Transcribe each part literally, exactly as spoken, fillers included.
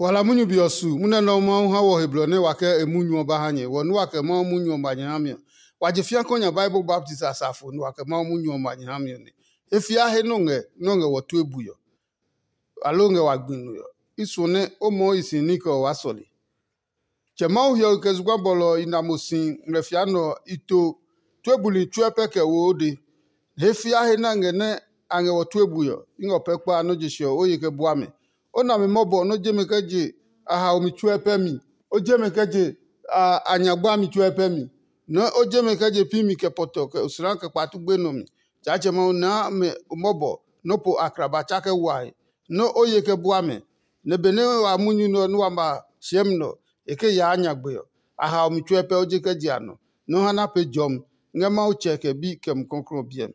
Wala munyu be ɔ su munyu nɛ Mawu ha wɔ he blɔ nɛ wa kɛ e munyu ɔ ba ha nyɛ. Wɔ nɛ wa kɛ Mawu munyu ɔ ba nyɛ ha mi ɔ, wa je fĩa kɔ nya Bible baptist asafo nɛ wa kɛ Mawu munyu ɔ ba nyɛ ha mi ɔ nɛ. He fia he nɔ ngɛ nɔ ngɛ wɔ tue bui ɔ, aloo ngɛ wa gbi nue ɔ, i suɔ nɛ o moo i si ní kɛ ɔ waa sɔle. Tsɛ Mawu hiɔwe kɛ zugba bɔlɔ ɔ i na mo si ngmlɛfia nɛ ɔ, i to tue buli tsuɛ pɛ kɛ wo o de. He fia he nɛ a ngɛ nɛ a ngɛ wɔ tue bui ɔ, i ngɛ o pɛ kpa nɔ́ je se ɔ, o ye kɛ bua mɛ. O nami mɔbɔ nɔ́ je mɛ kɛ je a haomi tsuɛ pɛ mi. O je mɛ kɛ je a nyagba mi tsuɛ pɛ mi. Nɔ́ o je mɛ kɛ je pi mi kɛ pɔtɔ kɛ osla kɛ kpatu gbenɔ mi. Tsaatsɛ Mawu naa mɛ mɔbɔ nɔ́ po akraba tsa kɛ wae. Nɔ́ o ye kɛ bua mɛ, nɛ benɛ wa munyu nɛ ɔ nɛ wa ma hyɛmi nɛ ɔ, e ke yaa nyagbe ɔ, a hao mi tsuɛ pɛ o je kɛ je a nɔ, nɔ́ ha na pee jɔmi ngɛ Mawu Tsɛ kɛ Bi kɛ Mumi Klɔuklɔu ɔ biɛ mi.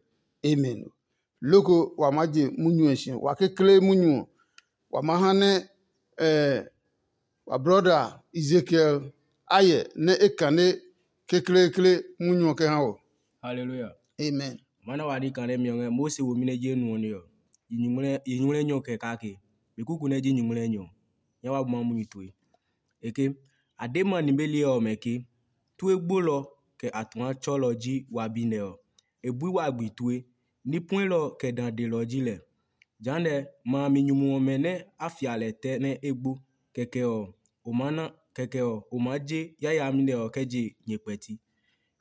Amen. Loko wa maa je munyu ɔ si, wa kekle munyu ɔ, wa maa ha nɛ wa brɔda Ezekiel a yɛ nɛ e kane kekleekle munyu ɔ kɛ ha wɔ. Haleluya. Amen. Ma na wa di kane mi ɔ ngɛ Mose womi nɛ je nu ɔ nɛ ɔ, yi nyuŋmlɛ nyɔ kɛ kake. Mi kuku nɛ ji nyuŋmlɛ nyɔ. Nya wa bu ma munyu tue. E ke, a de ma nimeli ɔmɛ ke, tue gbolɔ kɛ a tua tsɔlɔ ji wa bi nɛ ɔ. E bui wa gbi tue, ní puelɔ kɛ dã delɔ ji lɛ. Jehanɛ ma a mi nyumu ɔmɛ nɛ a fia lɛ tɛ nɛ e gbo, kɛkɛ ɔ, o maa na kɛkɛ ɔ, o maa je yayami nɛ ɔ kɛ je nyɛ kpɛti.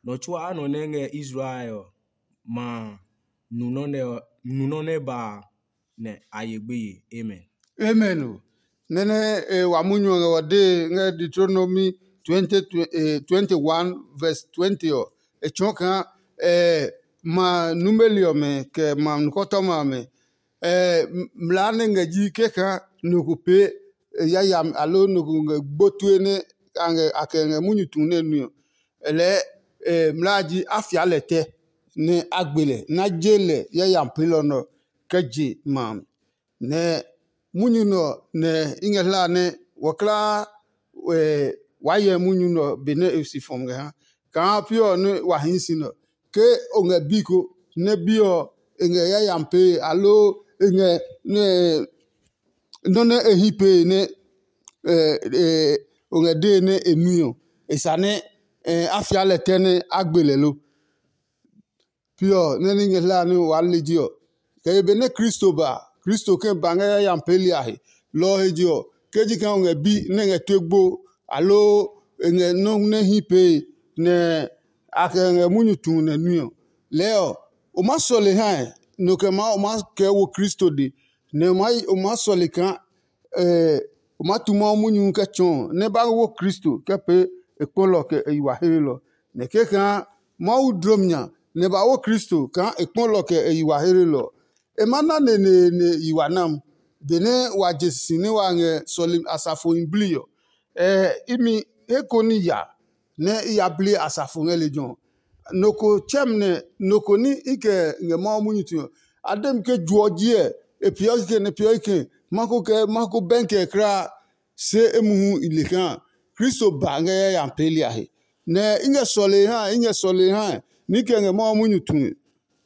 Nɔ tsuaa nɔ nɛ ngɛ Israel ɔ, ma a nu nɔ́ nɛ ɔ, nu nɔ́ nɛ ba a, nɛ a ye gbeye. Amen. Amen o. Nɛ́ nɛ e wa munyu ɔ ngɛ wɔ dee ngɛ Deuteronomy twenty, eh, twenty-one verse twenty ɔ, e tsɔɔ kaa eh, ma numeli ɔmɛ kɛ ma nukɔtɔma ɔmɛ, eh, mlaa nɛ ngɛ ji kɛkaa nɔ ko pee yayami aloo nɔ ko ngɛ gbo tue nɛ a ngɛ a kɛ ngɛ munyu tu nɛ nui ɔ, lɛɛ mlaa ji a fia lɛ tɛ nɛ a gbe lɛ nɛ a je lɛ yayami peelɔ nɛ ɔ kɛ je ma a mi. Nɛ munyu nɛ ɔ nɛ i ngɛ hla nɛ wɔklaa waa hyɛ munyu nɛ ɔ benɛ e si fɔmi ngɛ ha. Kaa pi ɔ nɛ wa hii si nɛ ɔ, ke o ngɛ bi ko nɛ bi ɔ e ngɛ yayami pee aloo e ngɛ nɔ́ nɛ e hí pee nɛ o ngɛ dee nɛ e nui ɔ, e sa nɛ a fia lɛ tɛ nɛ a gbe lɛ lo? Pi ɔ nɛ ní ngɛ hlaa ní waa liji ɔ, kɛ ye benɛ Kristo ba, Kristo kɛ ba ngɛ yayami peeli a he. Lɔ ɔ he je ɔ, ke ji kaa o ngɛ bi nɛ ngɛ tue gbo, aloo e ngɛ nɔ́ nɛ hí pee nɛ a kɛ ngɛ munyu tu nɛ nui ɔ, lɛɛ ɔ, o maa sɔle hae, nɔ kɛ maa o maa kɛɛ wo Kristo de, nɛ o maa sɔle kaa o maa tu Mawu munyu kɛ tsɔɔ nɛ ba wo Kristo kɛ pee e kpɔlɔ kɛ e yi wa heelɔ. Nɛ kɛkaa Mawu dlom nya nɛ ba wo Kristo kaa e kpɔlɔ kɛ e yi wa heelɔ ɔ, e ma na neneene yi wa nam. Benɛ wa je sisi nɛ wa ngɛ sɔlemi asafohi blii ɔ, imi he ko ní ya nɛ i ya bli asafo ngɛ lejɛ ɔ. Nɔ ko tsɛmi nɛ nɔ ko ní i kɛ ngɛ Mawu munyu tue ɔ, a de mi ke juɔ jiɛ e peeɔ kikɛ nɛ peeɔ kikɛ, ma ko kɛ ma ko bɛnkɛ kulaa, se emuhu i le kaa Kristo ba ngɛ yayami peeli a he. Nɛ i ngɛ sɔlee ha i ngɛ sɔlee ha ní kɛ ngɛ Mawu munyu tue.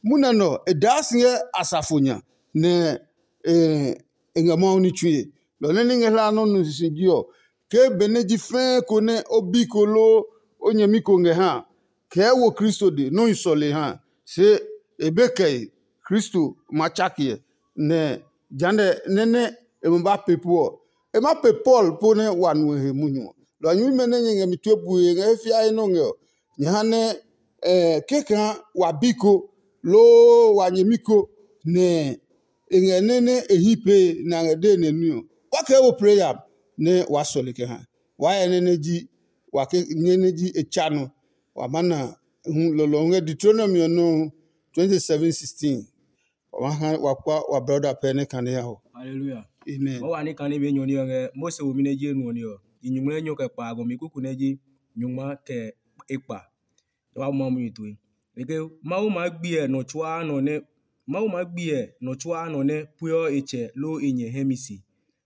Munɛ nɔ e daa si ngɛ asafo nya, nɛ e ngɛ Mawu ní tsue. Lɔ nɛ ní ngɛ hlaa nɔ́ nu sisi ji ɔ, ke benɛ ji fɛɛ ko nɛ o bi ko loo o nyɛmi ko ngɛ ha, kɛɛ wo Kristo de nɔ́ hi sɔlee ha, se e be kɛe Kristo ma tsake ɛ, nɛ jehanɛ nɛ nɛ e ma ba pee pu ɔ, e ma pee Paul po nɛ wa nu e he munyu ɔ. Lɔ ɔ nyɛmimɛ nɛ nyɛ ngɛ mi tue bue ngɛ he fiae nɔ́ ngɛ ɔ, nyɛ ha nɛ kɛkaa wa bi ko loo wa nyɛmi ko nɛ e ngɛ nɛ nɛ e hyi pee nɛ a ngɛ dee nɛ nui ɔ, wa kɛ wo plɛ ya nɛ waa sɔle kɛ ha. Waa hyɛ nɛ nɛ ji wa ke nyɛ nɛ ji e tsa nɔ. Wa ma na hu lɔlɔ ngɛ Deuteronomy ɔ nɔ twenty seven sixteen. Wa ma ha wa kpa wa brɔda pɛ nɛ kane ya hɔ. Hallelujah. Amen. Mo wa ni kane be nyɔ ni ɔ ngɛ Mose wo mi nɛ ji enu ɔ ni ɔ. I nyuŋmlɛ nyɔ kɛ kpa agɔ mi kuku nɛ ji nyuŋma kɛ ekpa. Wa ma mu yi tue. Eke Mawu ma gbiɛ nɔ tsuaa nɔ nɛ Mawu ma gbiɛ nɔ tsuaa nɔ nɛ pueɔ e tsɛ loo e nyɛ hɛ mi si.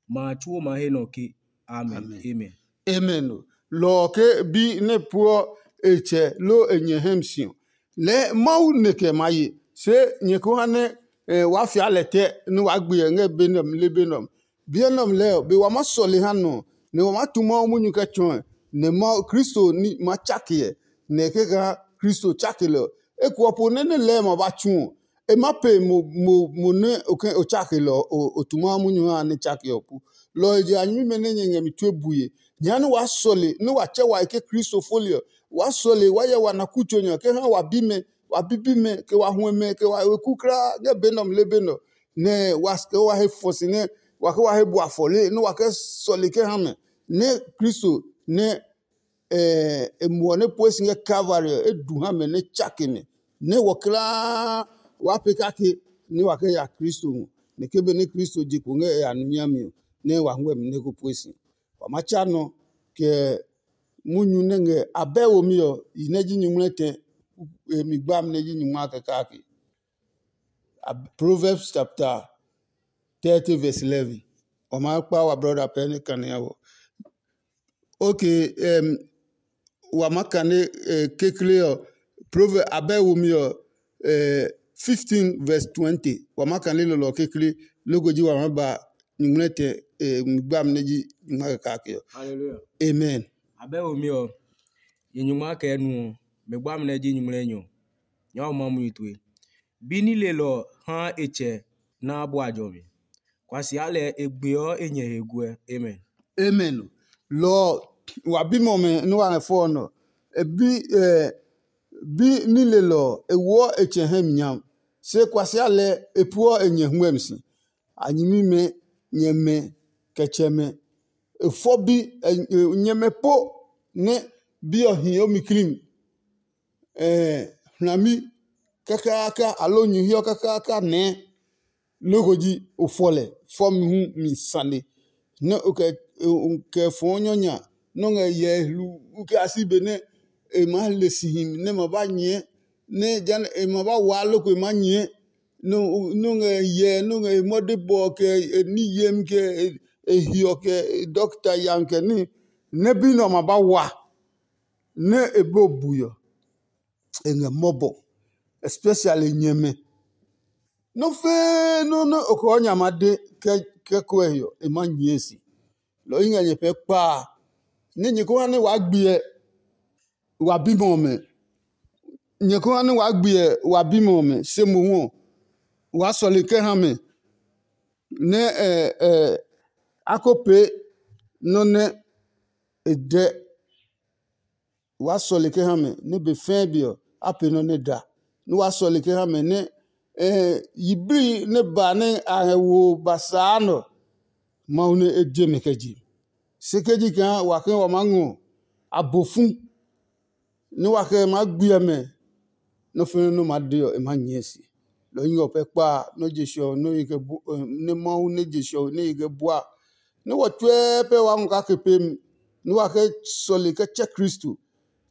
Ma a tsuo ma he nɔ ke. Amen. Amen. Amen. Lɔ ɔ ke bi nɛ pueɔ e tsɛ loo e nyɛ hɛ mi si ɔ, lɛɛ Mawu nɛ kɛ ma ye. Se nyɛ ko ha nɛ waa fia lɛ tɛ nɛ waa gbe ɛ ngɛ be nɛ ɔ le be nɛ ɔ. Biɛ nɛ ɔmɛ lɛɛ ɔ, be wa maa sɔle ha nɔ ɔ, nɛ wa maa tu Mawu munyu kɛ tsɔɔe, nɛ Mawu Kristo ní ma tsake ɛ, nɛ e kɛ kaa Kristo tsake lɛ ɔ, eko ɔ po nɛ nɛ lɛɛ ma ba tsu ɔ, e maa pe mo mo mo nɛ o ke o tsake lɛ ɔ, o tu Mawu munyu ha nɛ tsake ɔ po. Lɔ ɔ he je a nyɛmimɛ nɛ nyɛ ngɛ mi tue bue, nyɛ ha nɛ waa sɔle nɛ wa tsɛ wa he ke Kristo foli ɔ, waa sɔle waa hyɛ wa na kutso nya kɛ ha wa bimɛ, wa bibimɛ, kɛ wa huɛmɛ, kɛ wa weku kulaa ngɛ be nɛ ɔmɛ le be nɛ ɔ, nɛ wa kɛ wa he fɔ si nɛ wa kɛ wa he bua fɔle nɛ wa kɛ sɔle kɛ ha mɛ, nɛ Kristo nɛ e muɔ nɛ pue si ngɛ Kalvari ɔ, e du ha mɛ nɛ tsake mɛ, nɛ wɔ kulaa waa pee kake nɛ wa kɛ ya Kristo ngɔ, nɛ ke benɛ Kristo je kpo ngɛ e ya numi a mi ɔ, nɛ wa huɛ mi nɛ ko pue si. Wa ma tsa nɔ kɛ munyu nɛ ngɛ abɛ womi ɔ, yi nɛ ji nyuŋmlɛtɛ, e mi gbami nɛ ji nyuŋma kɛ kake. Proverbs chapter thirty verse eleven. Wa ma kpa wa brother pɛ ne kane ya wɔ. Okay, um, wa ma kane uh, kekle ɔ, Proverbs abɛ womi ɔ, uh, fifteen verse twenty. Wa ma kane lɔlɔ kekle, loko ji wa ma ba nyuŋmlɛtɛ uh, gbami nɛ ji nyuŋma kɛ kake ɔ. Hallelujah. Amen. Abɛ womi ɔ, nyɛ nyuŋma kɛ nu ɔ, mɛ gbami nɛ ji nyuŋmlɛnyɔ. Nyɛ wa ma munyu tue. Bi nilelɔ ɔ haa e tsɛ naa bua jɔmi. Kuasia lɛ e gbeɔ e nyɛ he guɛ. Amen. Amen. Lɔ ɔ, wa bimɛ ɔmɛ nɛ wa ngɛ fɔ ɔ nɔ. E bi ɛ bi nilelɔ ɔ, e woɔ e tsɛ hɛ mi nyam. Se kuasia lɛ e pueɔ e nyɛ huɛmi si. A nyɛmimɛ, nyɛmɛ, kɛ tsɛmɛ. E fɔ bi, nyɛmɛ po nɛ bi ɔ hi o mi klim. Hlami kakaaka aloo nyu hiɔ kakaaka nɛɛ. Loko ji o fɔ lɛ fɔmi hu mi sane, nɛ o kɛ fɔɔ nyɔnya nɛ o ngɛ hyɛ hluu kɛ a si be nɛ e maa le si himi nɛ ma ba nyɛɛ, nɛ e ma ba waa loko e maa nyɛɛ, nɛ o ngɛ hyɛ nɛ o ngɛ e mɔde bɔ kɛ e ní yemi kɛ e hiɔ kɛ e dɔkta yami kɛ ní, nɛ bi nɛ ɔ ma ba wa. Nɛ e be o bui ɔ, e ngɛ mɔbɔ, especially nyɛmɛ. Nɔ́ fɛ́ɛ́ nɔ́ nɛ o kɛ ɔ nya ma de kɛ kɔe ɔ, e ma nyɛɛ si. Lɔ ɔ i ngɛ nyɛ pɛɛ kpaa, nɛ nyɛ ko ha nɛ waa gbiɛ wa bimɛ ɔmɛ. Nyɛ ko ha nɛ waa gbiɛ wa bimɛ ɔmɛ, se mohu ɔ, waa sɔle kɛ ha mɛ nɛ a ko pee nɔ́ nɛ e dɛ. Waa sɔle kɛ ha mɛ nɛ be fɛɛ be ɔ, a pee nɔ́ nɛ da. Nɛ waa sɔle kɛ ha mɛ nɛ yiblii nɛ ba nɛ a ngɛ wo ba saa nɔ, Mawu nɛ e je mɛ kɛ je. Se ke ji kaa wa ke wa maa ngɔ abo fu nɛ wa kɛ maa gbiɛ mɛ, nɔ́ fɛnɛ nɔ́ maa de ɔ, e maa nyɛɛ si. Lɔ ɔ ɔ pɛ kpa nɔ́ je sɛ ɔ nɛ Mawu nɛ je sɛ ɔ nɛ e kɛ bua, nɛ wɔ tsuɛ pɛ waa ngɔ kake pemi, nɛ wa kɛ sɔle kɛ tsɛ Kristo,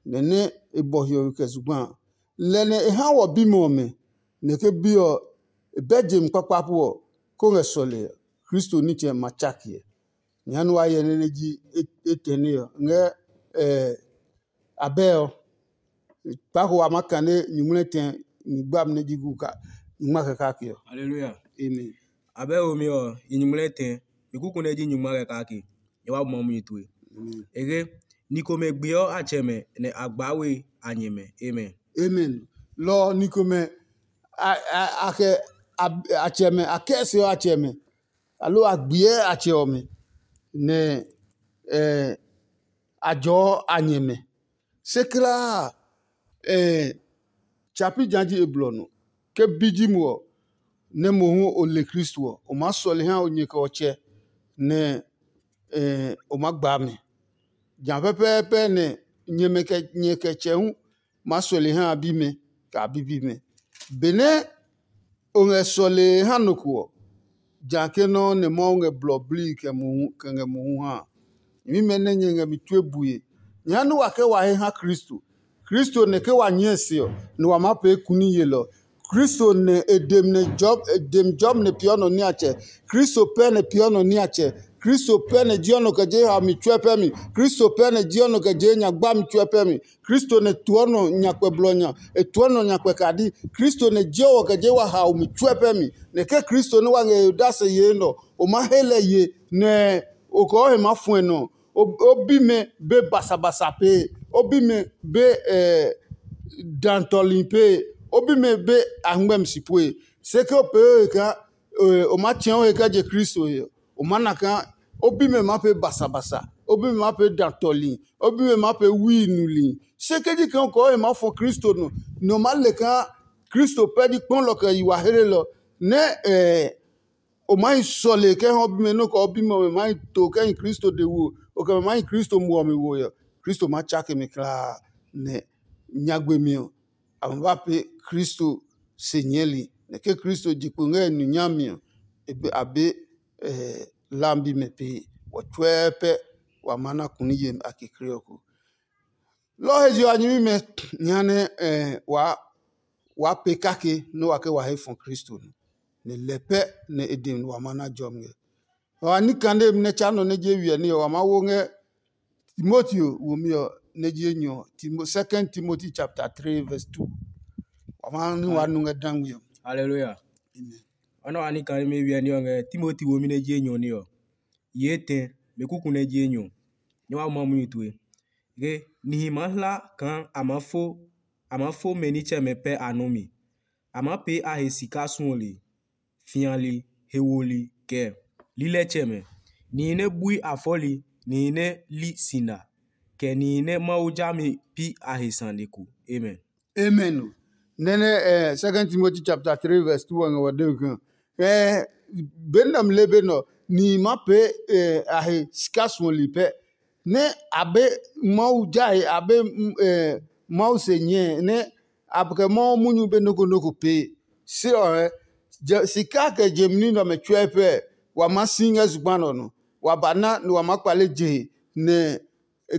nɛ nɛ e bɔ hiɔwe kɛ zugba a. Lɛ nɛ e ha wɔ bimɛ ɔmɛ, nɛ ke bi ɔ e bɛ je mi kpakpa pu ɔ, kó ngɛ sɔle ɔ, Kristo nitsɛ ma tsake ɛ. Nyɛ ha nɛ wa hyɛ nɛ nɛ ji etɛ nɛ ɔ ngɛ abɛ ɔ. Kpako wa maa kane nyuŋmlɛ tɛ ni gbami nɛ ji gu ka nyungma kɛ kake ɔ. Hallelujah. Amen. Abɛ womi ɔ, i nyuŋmlɛ tɛ, i kuku nɛ ji nyungma kɛ kake. Nyɛ wa buma munyu tue. Ege, ni komɛ gbeɔ a tsɛmɛ nɛ a gbaa we a nyɛmɛ. Amen. Amen. Lɔ ɔ ni komɛ a kɛ a tsɛmɛ a kɛ se ɔ a tsɛmɛ, aloo a gbiɛ a tsɛ ɔmɛ nɛ a jɔɔ a nyɛmɛ. Se kulaa a, tsa pi ja ji e blɔ nɔ. Ke bi ji mo ɔ, nɛ mohu o le Kristo ɔ, o maa sɔle ha o nyɛ kɛ ɔ tsɛ, nɛ o maa gbaa mɛ. Ja pɛpɛɛpɛ nɛ nyɛmɛ kɛ nyɛ kɛ tsɛ hu maa sɔle ha a bimɛ, kɛ a bibimɛ. Benɛ o ngɛ sɔlee ha nɔ ko ɔ, ja ke nɔ́ nɛ Mawu ngɛ blɔ blii kɛ mohu kɛ ngɛ mohu ha a. Nyɛmimɛ nɛ nyɛ ngɛ mi tue bue, nyɛ ha nɛ wa kɛ wa he ha Kristo. Kristo nɛ ke wa nyɛɛ se ɔ, nɛ wa maa pee kuni yelɔ. Kristo nɛ e dem nɛ jɔb e dem jɔb nɛ peeɔ nɔ niatsɛ. Kristo pɛ nɛ peeɔ nɔ niatsɛ. Kristo pɛ nɛ jeɔ nɔ kɛ je haomi tsuɛ pɛ mi. Kristo pɛ nɛ jeɔ nɔ kɛ je nyagba mi tsuɛ pɛ mi. Kristo nɛ tuɔ nɔ nyakpɛ blɔ nya, e tuɔ nɔ nyakpɛ kadi. Kristo nɛ jeɔ wɔ kɛ je wa haomi tsuɛ pɛ mi. Nɛ ke Kristo nɛ wa ngɛ he odase yee nɔ, o maa he lɛ ye, nɛ o kɔɔ he maa fuɛ nɔ. O bimɛ be basabasa pee, o bimɛ be dantɔli pee, o bimɛ be ahngmɛmi si pue. Se ke o pee o he kaa o maa tsɛ̃ o he kɛ je Kristo he ɔ, o maa na kaa o bimɛ maa pee basabasa, o bimɛ maa pee dantɔli, o bimɛ maa pee wui nuli. Se ke ji kaa o kɔɔ he maa fɔ Kristo nɔ, nɛ o maa le kaa Kristo pɛ ji kpɔlɔ kɛ yi wa hlelɔ, nɛ o maa hi sɔle kɛ ha o bimɛ nɔ́ kɛ o bimɛ ɔmɛ maa hi to kɛ hi Kristo de wo, o kɛ mɛ maa hi Kristo muɔ mi wo ɔ, Kristo maa tsake mi kulaa. Nɛ nyagbe mi ɔ, a ma ba pee Kristo se nyɛɛli, nɛ ke Kristo je kpo ngɛ e nu nyami ɔ, e be a be lambi mɛ pee. Wɔ tsuɛɛ pɛ wa maa na kuni yemi a kekle ɔ ko. Lɔ ɔ he je ɔ, a nyɛmimɛ, jehanɛ waa waa pee kake nɛ wa ke wa he fɔ Kristo nɔ, nɛ lɛ pɛ nɛ e dɛ wa ma na jɔmi ngɛ. Wa ní kane mi nɛ tsa nɔ nɛ je wiɛ ní ɔ, wa maa wo ngɛ Timoteo womi ɔ nɛ ji enyɔ ɔ, Timo, Second Timothy chapter three verse two. Wa maa ní wa nu ngɛ dangmi ɔ. Hallelujah. Amen. Ɔnɔ wa ní kane mi wiɛ ní ɔ ngɛ Timoteo womi nɛ ji enyɔ ní ɔ. Ye etɛ, mɛ kuku nɛ ji enyɔ, nyɛ wa ma munyu tue. Ke nihi maa hla kaa a maa fo a maa fo mɛ nitsɛmɛ pɛ a nɔ mi. A maa pee a he sika suɔli, fiali, hewoli, kɛ lilɛtsɛmɛ, nihi nɛ bui a fɔli, nihi nɛ li sina, kɛ nihi nɛ Mawu jami pi a he sane ko. Amen. Amen. Nɛnɛ eh, Second Timothy chapter three verse two ɔ ngɛ wɔ de ke eh, benɛ mi le be nɔ ni ma pee eh, a he sika suɔli pɛ nɛ a be Mawu jae a be mm, eh, Mawu se nyɛ nɛ a kɛ Mawu munyu be noko noko pee. Se ɔ eh, sika kɛ jemi ní nɛ ɔmɛ tsuɛ pɛ wa ma si ngɛ zugba nɔ nɔ wa ba na nɛ wa ma kpale je nɛ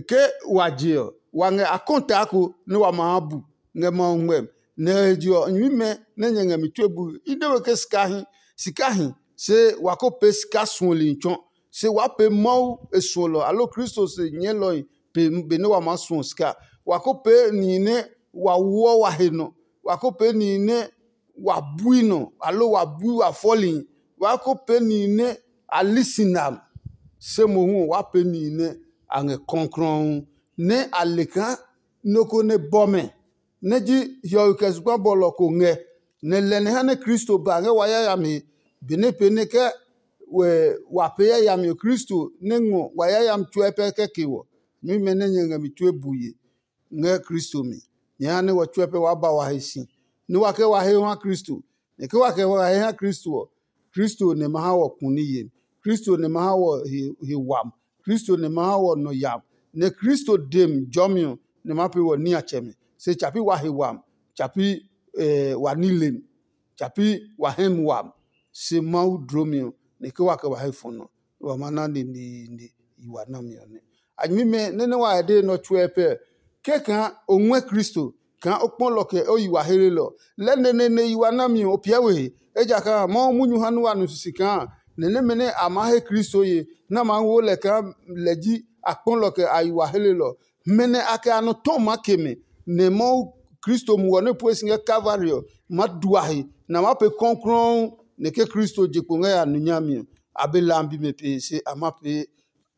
ke wa je ɔ, wa ngɛ akɔntaa ko nɛ wa ma ha bu ngɛ Mawu ngmɛmi. Nɛ he je ɔ, nyuimɛ nɛ nyɛ ngɛ mi tue bui, i de we ke sika hi, sika hi, se wa ko pee sika suɔli tsɔ. Se waa pee Mawu e suɔlɔ aloo Kristo se nyɛɛlɔhi pe benɛ wa maa suɔ sika. Wa ko pee nihi nɛ wa woɔ wa he nɔ, wa ko pee nihi nɛ wa bui nɔ aloo wa bui wa fɔli, wa ko pee nihi nɛ a li si nam. Se mohu ɔ, wa pee nihi nɛ a ngɛ kɔklɔɔ nɛ a le kaa nɔ ko nɛ bɔ mɛ nɛ ji hiɔwe kɛ zugba bɔlɔ ko ngɛ, nɛ lɛ nɛ ha nɛ Kristo ba ngɛ wa yayami he, benɛ pee nɛ ke wa pee yayami ɔ Kristo nɛ ngɔ wa yayami tsuɛ pɛ kɛ ke wɔ. Nyɛmimɛ nɛ nyɛ ngɛ mi tue bue ngɛ Kristo mi. Nyɛ ha nɛ wɔ tsuɛ pɛ waa ba wa he si, nɛ wa kɛ wa he ha Kristo. Nɛ ke wa kɛ wa he ha Kristo ɔ, Kristo nɛ ma ha wɔ kuni yemi. Kristo nɛ ma ha wɔ he wam. Kristo nɛ ma ha wɔ nɔ yam. Nɛ Kristo dem jɔmi ɔ nɛ ma pee wɔ niatsɛmɛ. Se tsa pi wa he wam, tsa pi wa nilem, tsa pi wa hɛmi wam. Se Mawu dlomi ɔ, nɛ ke wa kɛ wa he fɔ nɔ, nɛ wa ma na neneene yi wa nami ɔ nɛ. A nyɛmimɛ nɛ nɛ wa he dee nɔ tsuɛ pɛ, ke kaa o ngɔɛ Kristo, kaa o kpɔ lɔ kɛ o yi wa hlelɔ. Lɛ neneene yi wa nami ɔ, o piɛ we he, ejakaa Mawu munyu ha nua nu sisi kaa nɛ nɛmɛ nɛ a maa he Kristo ye, nɛ a maa wo lɛ kaa lɛ ji a kpɔ lɔ kɛ a yi wa hlelɔ. Mɛ nɛ a kɛ a nɔ tɔ maa ke mɛ, nɛ Mawu Kristo muɔ nɛ pue si ngɛ Kalvari ɔ, ma dua he, nɛ a maa pee kɔklɔɔ nɛ ke Kristo je kpo ngɛ ya nu nyami ɔ, a be lambi mɛ pee se a ma pee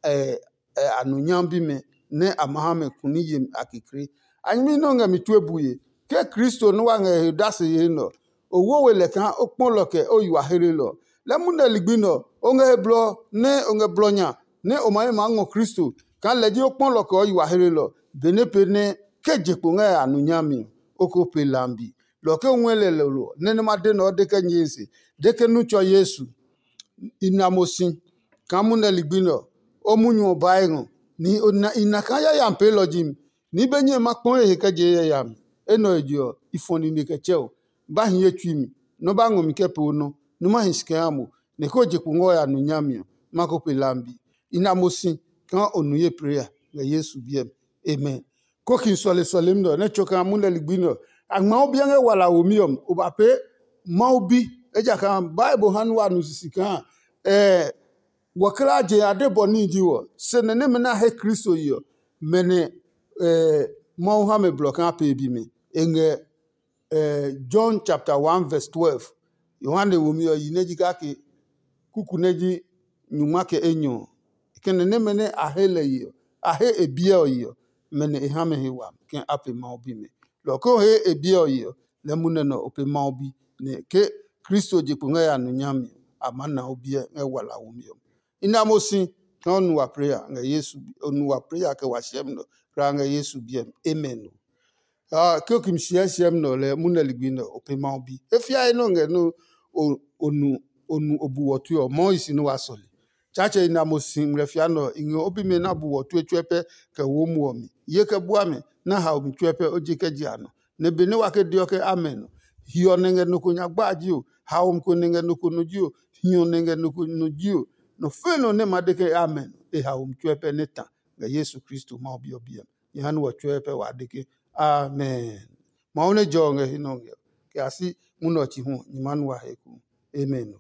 a nu nyami bimɛ nɛ a ma ha mɛ kuni yemi a kekle. A nyɛmi nɛ o ngɛ mi tue bue, ke Kristo nɛ wa ngɛ he dase yee nɛ ɔ, o wo we lɛ kaa o kpɔ lɔ kɛ o yi wa hlelɔ. Lɛ munɛ ligbi nɛ ɔ, o ngɛ he blɔ nɛ o ngɛ blɔ nya nɛ o ma he maa ngɔ Kristo kaa lɛ ji o kpɔ lɔ kɛ o yi wa hlelɔ, benɛ pee nɛ ke je kpo ngɛ a nu nyami ɔ, o ko pe lambi. Lɔ ke o ngɔɛ lɛ lolo ɔ, nɛ nɛ ma de nɛ ɔ de kɛ nyɛe se, de ke nu tsɔ Yesu. I na mo si kaa munɛ ligbi nɛ ɔ, o munyu ɔ baa ngɔ. Nihi o na i na kaa yayami peelɔ ji mi, ni be nyɛe ma kpɔ he kɛ je yayami. Enɛ ɔ he je ɔ, i fɔ nine kɛ tsɛ o. Ba hi ye tsui mi, nɔ́ ba ngɔ mi kɛ pee o nɔ, nú ma hi si kɛ ha mo, nɛ ke o je kpo ngɛ o ya nu nyami ɔ, ma ko pe lambi. I na mo si kaa o nu ye plee a ngɛ Yesu biɛ mi. Amen. Kokin sɔle sɔlemi nɛ ɔ nɛ tso kaa munɛ ligbi nɛ ɔ, a ngma o biɛ ngɛ wala womi ɔ mi. O ba pee Mawu bi, ejakaa Bible ha nɛ wa nu sisi kaa ɛɛ Wɔkla je a de bɔ níhi ji wɔ, se nɛ nɛmɛ nɛ a he Kristo yi ɔ, mɛ nɛ Mawu ha mɛ blɔ kaa pee bimi. E ngɛ John chapter one verse twelve. Yohane womi ɔ yi nɛ ji kake kuku nɛ ji nyungma kɛ enyɔ ɔ. Kɛnɛ nɛmɛ nɛ a he lɛ yi ɔ, a he e biɛ ɔ yi ɔ, mɛ nɛ e ha mɛ he wami kɛ a pe Mawu bimɛ. Lɔ ko he e biɛ ɔ yi ɔ, lɛ munɛ nɛ o pe Mawu bi, nɛ ke Kristo je kpo ngɛ ya nu nyami ɔ, a maa na o biɛ ngɛ wala womi ɔ. I na mo si kaa o nu wa preya ngɛ Yesu o nu wa preya kɛ wa siɛmi nɔ kra ngɛ Yesu biɛ mi. Amen. Ke o kimi siɛ siɛmi nɔ lɛ munɛ ligbi nɛ o pe Mawu bi. E fiae nɔ ngɛ nɛ o nu o bu wɔ tue ɔ, mɔɔ i si nɛ wa sɔle. Tsaatsɛ i na mo si ngmlɛfia nɛ ɔ, i ngɛ o bimɛ na bu wɔ tue tsuɛ pɛ kɛ wo muɔ mi. Ye kɛ bua mɛ nɛ a hao mi tsuɛ pɛ o je kɛ je a nɔ. Nɛ benɛ wa ke deɔ ke amɛ nɔ, hiɔ nɛ ngɛ nɔ ko nyagba ji o, haomi ko nɛ ngɛ nɔ ko nɔ ji o, hiɔ nɛ ngɛ nɔ ko nɔ ji o, nɔ fɛ̃ nɔ nɛ ma de ke amɛ nɔ, e haomi tsuɛ pɛ nɛ ta ngɛ Yesu Kristo Mawu Bi ɔ biɛ mi. Jehanɛ wɔ tsuɛ pɛ wa de ke, Amen. Mawu nɛ jɔ ɔ ngɛ he nɔ ngɛ ɔ, kɛ a si munɛ ɔ chi hu ɔ, nyɛ maa nu wa he eko. Amen ɔ.